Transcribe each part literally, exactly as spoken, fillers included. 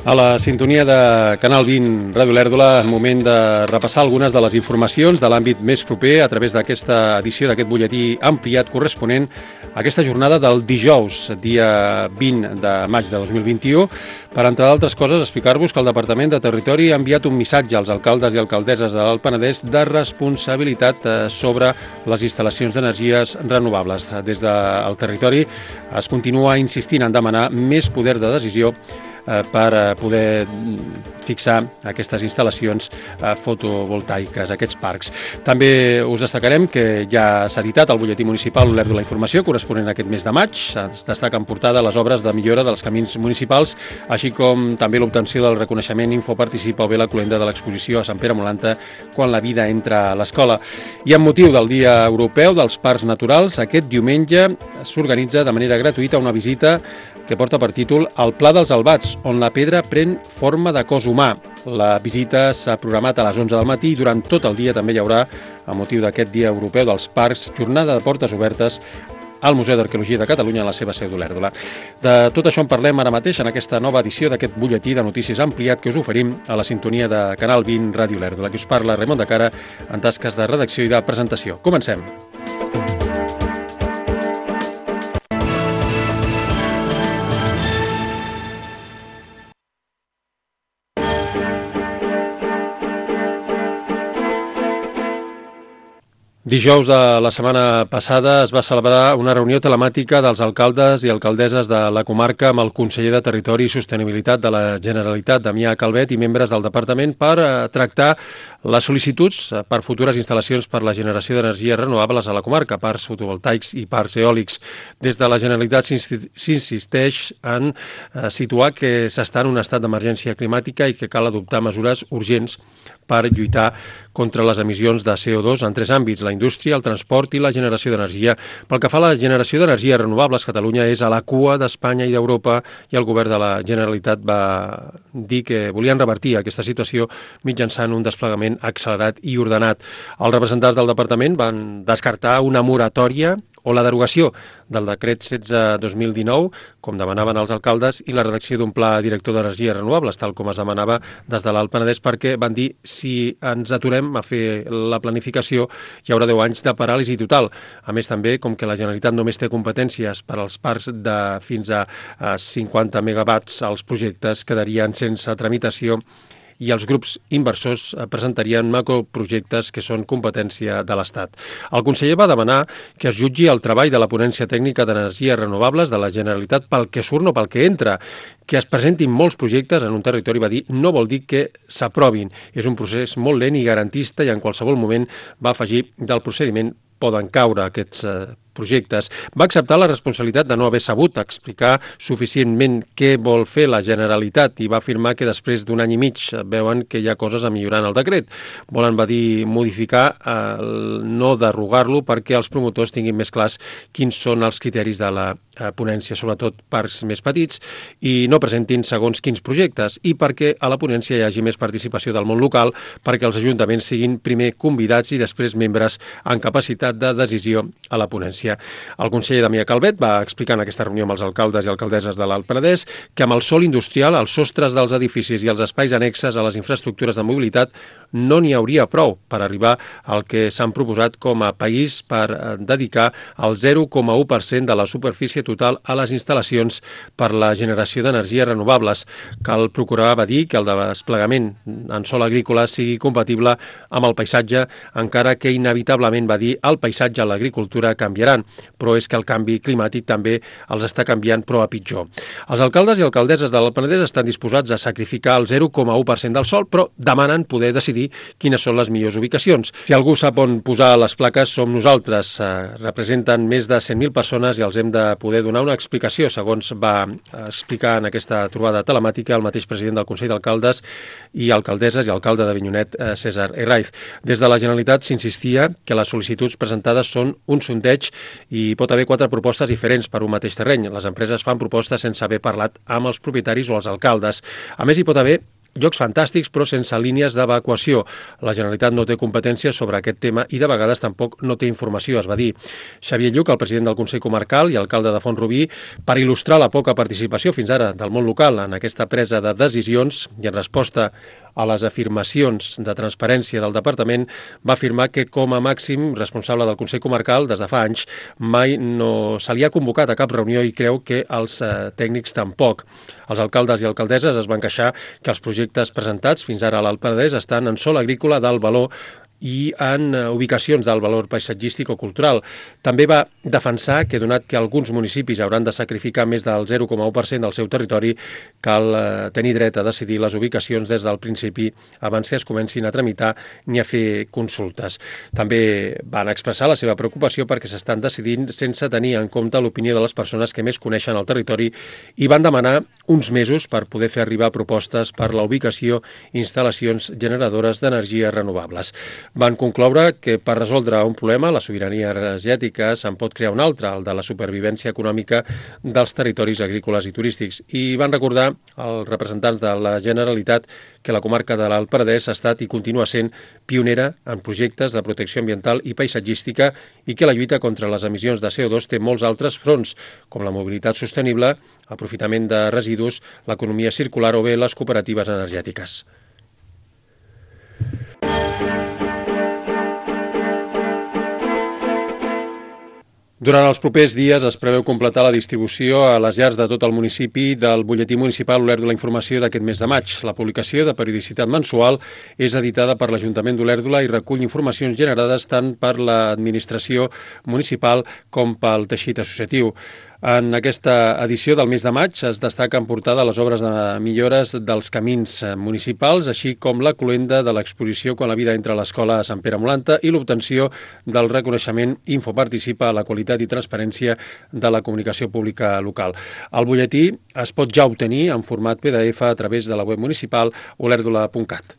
A la sintonia de Canal vint Ràdio Lèrdola, moment de repassar algunes de les informacions de l'àmbit més proper a través d'aquesta edició d'aquest butlletí ampliat corresponent a aquesta jornada del dijous, dia vint de maig de dos mil vint-i-u, per, entre d'altres coses, explicar-vos que el Departament de Territori ha enviat un missatge als alcaldes i alcaldesses de l'Alt Penedès de responsabilitat sobre les instal·lacions d'energies renovables. Des del territori es continua insistint en demanar més poder de decisió per poder fixar aquestes instal·lacions fotovoltaiques, aquests parcs. També us destacarem que ja s'ha editat el butlletí municipal Olert de la Informació corresponent a aquest mes de maig. Es destaca en portada les obres de millora dels camins municipals, així com també l'obtenció del reconeixement Infoparticipa o bé la cloenda de l'exposició a Sant Pere Molanta quan la vida entra a l'escola. I amb motiu del Dia Europeu dels Parcs Naturals, aquest diumenge s'organitza de manera gratuïta una visita que porta per títol El Pla dels Albats, on la pedra pren forma de cos humà. La visita s'ha programat a les onze del matí i durant tot el dia també hi haurà, a motiu d'aquest Dia Europeu dels Parcs, jornada de portes obertes al Museu d'Arqueologia de Catalunya en la seva seu d'Olèrdola. De tot això en parlem ara mateix en aquesta nova edició d'aquest butlletí de notícies ampliat que us oferim a la sintonia de Canal vint Ràdio Olèrdola. Qui us parla, Raimon de Cara, en tasques de redacció i de presentació. Comencem. Dijous de la setmana passada es va celebrar una reunió telemàtica dels alcaldes i alcaldesses de la comarca amb el conseller de Territori i Sostenibilitat de la Generalitat, Damià Calvet, i membres del departament per tractar les sol·licituds per futures instal·lacions per la generació d'energies renovables a la comarca, parcs fotovoltaics i parcs eòlics. Des de la Generalitat s'insisteix en situar que s'està en un estat d'emergència climàtica i que cal adoptar mesures urgents per lluitar contra les emissions de C O dos en tres àmbits, la indústria, el transport i la generació d'energia. Pel que fa a la generació d'energies renovables, Catalunya és a la cua d'Espanya i d'Europa i el govern de la Generalitat va dir que volien revertir aquesta situació mitjançant un desplegament accelerat i ordenat. Els representants del departament van descartar una moratòria o la derogació del decret setze dos mil dinou, com demanaven els alcaldes, i la redacció d'un pla director d'energies renovables, tal com es demanava des de l'Alt Penedès, perquè van dir si ens aturem a fer la planificació hi haurà deu anys de paràlisi total. A més, també, com que la Generalitat només té competències per als parcs de fins a cinquanta megawatts, els projectes quedarien sense tramitació i els grups inversors presentarien macroprojectes que són competència de l'Estat. El conseller va demanar que es jutgi el treball de la ponència tècnica d'energies renovables de la Generalitat pel que surt, no pel que entra. Que es presentin molts projectes en un territori, va dir, no vol dir que s'aprovin. És un procés molt lent i garantista i en qualsevol moment va afegir del procediment poden caure aquests eh, projectes. Va acceptar la responsabilitat de no haver sabut explicar suficientment què vol fer la Generalitat i va afirmar que després d'un any i mig veuen que hi ha coses a millorar en el decret. Volen, va dir, modificar, eh, no derogar-lo perquè els promotors tinguin més clars quins són els criteris de la eh, ponència, sobretot parcs més petits, i no presentin segons quins projectes, i perquè a la ponència hi hagi més participació del món local, perquè els ajuntaments siguin primer convidats i després membres en capacitat de decisió a la ponència. El conseller Damià Calvet va explicar en aquesta reunió amb els alcaldes i alcaldesses de l'Alt Penedès que amb el sòl industrial, els sostres dels edificis i els espais annexes a les infraestructures de mobilitat no n'hi hauria prou per arribar al que s'han proposat com a país per dedicar el zero coma u per cent de la superfície total a les instal·lacions per la generació d'energies renovables. Cal procurar, va dir, que el desplegament en sòl agrícola sigui compatible amb el paisatge, encara que inevitablement, va dir, el paisatge i l'agricultura canviaran, però és que el canvi climàtic també els està canviant, però a pitjor. Els alcaldes i alcaldesses de l'Alt Penedès estan disposats a sacrificar el zero coma u per cent del sòl, però demanen poder decidir quines són les millors ubicacions. Si algú sap on posar les plaques, som nosaltres. Eh, representen més de cent mil persones i els hem de poder donar una explicació, segons va explicar en aquesta trobada telemàtica el mateix president del Consell d'Alcaldes i alcaldesses i alcalde d'Avinyonet, eh, César Herraiz. Des de la Generalitat s'insistia que les sol·licituds presentades són un sondeig i pot haver quatre propostes diferents per un mateix terreny. Les empreses fan propostes sense haver parlat amb els propietaris o els alcaldes. A més, hi pot haver Jocs fantàstics, però sense línies d'evacuació. La Generalitat no té competències sobre aquest tema i de vegades tampoc no té informació, es va dir. Xavier Lluc, el president del Consell Comarcal i alcalde de Font-rubí, per il·lustrar la poca participació fins ara del món local en aquesta presa de decisions i en resposta a les afirmacions de transparència del departament, va afirmar que com a màxim responsable del Consell Comarcal des de fa anys mai no se li ha convocat a cap reunió i creu que els eh, tècnics tampoc. Els alcaldes i alcaldesses es van queixar que els projectes presentats fins ara a l'Alt Penedès estan en sòl agrícola d'alt valor i en ubicacions d'alt valor paisatgístic o cultural. També va defensar que, donat que alguns municipis hauran de sacrificar més del zero coma u per cent del seu territori, cal tenir dret a decidir les ubicacions des del principi abans que es comencin a tramitar ni a fer consultes. També van expressar la seva preocupació perquè s'estan decidint sense tenir en compte l'opinió de les persones que més coneixen el territori i van demanar uns mesos per poder fer arribar propostes per la ubicació i instal·lacions generadores d'energies renovables. Van concloure que per resoldre un problema, la sobirania energètica, se'n pot crear un altre, el de la supervivència econòmica dels territoris agrícoles i turístics. I van recordar als representants de la Generalitat que la comarca de l'Alt Penedès ha estat i continua sent pionera en projectes de protecció ambiental i paisatgística i que la lluita contra les emissions de C O dos té molts altres fronts, com la mobilitat sostenible, aprofitament de residus, l'economia circular o bé les cooperatives energètiques. Durant els propers dies es preveu completar la distribució a les llars de tot el municipi del butlletí municipal Olèrdola Informació d'aquest mes de maig. La publicació, de periodicitat mensual, és editada per l'Ajuntament d'Olèrdola i recull informacions generades tant per l'administració municipal com pel teixit associatiu. En aquesta edició del mes de maig es destaca en portada les obres de millores dels camins municipals, així com la cloenda de l'exposició Quan la vida entra a l'escola a Sant Pere Molanta i l'obtenció del reconeixement Infoparticipa a la qualitat i transparència de la comunicació pública local. El butlletí es pot ja obtenir en format P D F a través de la web municipal olèrdola punt cat.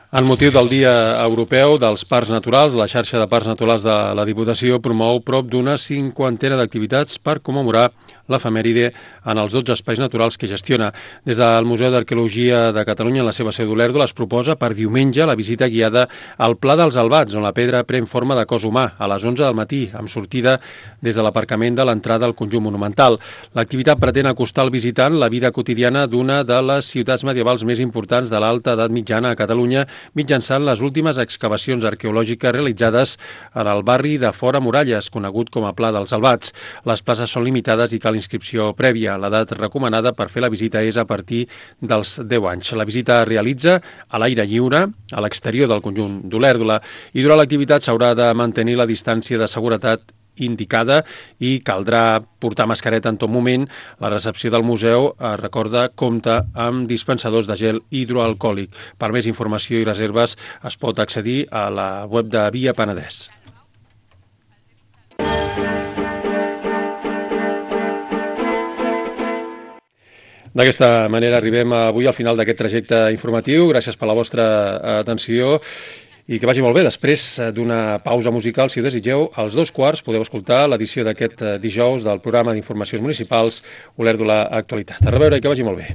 En motiu del Dia Europeu dels Parcs Naturals, la xarxa de Parcs Naturals de la Diputació promou prop d'una cinquantena d'activitats per commemorar l'efemèride en els dotze espais naturals que gestiona. Des del Museu d'Arqueologia de Catalunya, en la seva seu d'Olèrdola, es proposa per diumenge la visita guiada al Pla dels Albats, on la pedra pren forma de cos humà, a les onze del matí, amb sortida des de l'aparcament de l'entrada al conjunt monumental. L'activitat pretén acostar al visitant la vida quotidiana d'una de les ciutats medievals més importants de l'alta edat mitjana a Catalunya, mitjançant les últimes excavacions arqueològiques realitzades en el barri de Fora Muralles, conegut com a Pla dels Albats. Les places són limitades i cal inscripció prèvia. L'edat recomanada per fer la visita és a partir dels deu anys. La visita es realitza a l'aire lliure, a l'exterior del conjunt d'Olèrdola, i durant l'activitat s'haurà de mantenir la distància de seguretat indicada i caldrà portar mascareta en tot moment. La recepció del museu, eh, recorda, compta amb dispensadors de gel hidroalcohòlic. Per més informació i reserves es pot accedir a la web de Via Penedès. D'aquesta manera arribem avui al final d'aquest trajecte informatiu. Gràcies per la vostra atenció i que vagi molt bé. Després d'una pausa musical, si ho desitgeu, als dos quarts podeu escoltar l'edició d'aquest dijous del programa d'informacions municipals Olèrdola Actualitat. A reveure i que vagi molt bé.